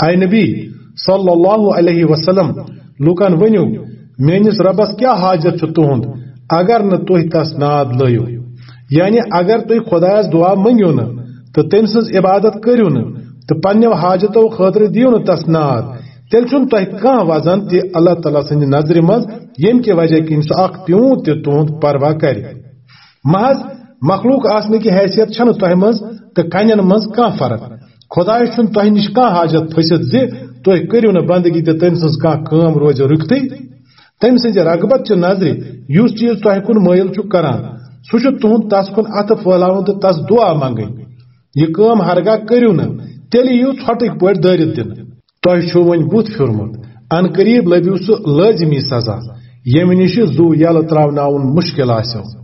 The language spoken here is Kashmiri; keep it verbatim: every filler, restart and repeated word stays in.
اے نبی صلی اللہ علیہ وسلم، لوکن ؤنِو، میٲنِس رۄبس کیٛاہ حاجت چھُ تُہُنٛد، اگر نہٕ تُہۍ تس ناد لٲیِو؟ یعنی اگر تُہۍ خۄدایس دُعا مٔنگِو نہٕ تہٕ تٔمۍ سٕنٛز عبادت کٔرِو نہٕ تہٕ پننیو حاجتو خٲطرٕ دِیِو نہٕ تس ناد، تیٚلہِ چھُنہٕ تۄہہِ کانٛہہ وزن تہِ اللہ تعالیٰ سٕنٛدِ نظرِ منٛز، ییٚمہِ کہِ وجہ کِنۍ سُہ اکھ پیوٗنت تہِ تُہُنٛد پرواہ کرِ۔ محض مخلوق آسنہٕ کہِ حیثیت چھنہٕ تۄہہِ منٛز تہٕ کنٮ۪ن منٛز کانٛہہ فرق۔ خۄدایس چھُنہٕ تۄہہِ نِش کانٛہہ حاجت پھٔسِتھ زِ تُہۍ کٔرِو نہٕ بندگی تہٕ تٔمۍ سٕنٛز کانٛہہ کٲم روزِ رُکتٕے۔ تٔمۍ سٕنٛزِ رغبت چہِ نظرِ یُس چیٖز تۄہہِ کُن مٲیِل چھُ کران، سُہ چھُ تُہُنٛد تس کُن اَتھٕ پھٲلاوُن تہٕ تس دُعا منگٕنۍ۔ یہِ کٲم ہرگاہ کٔرِو نہٕ، تیٚلہِ یِیِو ژھۄٹٕکۍ پٲٹھۍ دٲرِتھ دِنہٕ۔ تۄہہِ چھُو وۄنۍ بُتھ پھیُرمُت، عن قریب لٔبِو سُہ لٲزمی سزا، ییٚمہِ نِش زُو یَلہٕ ترٛاوناوُن مُشکِل آسیو۔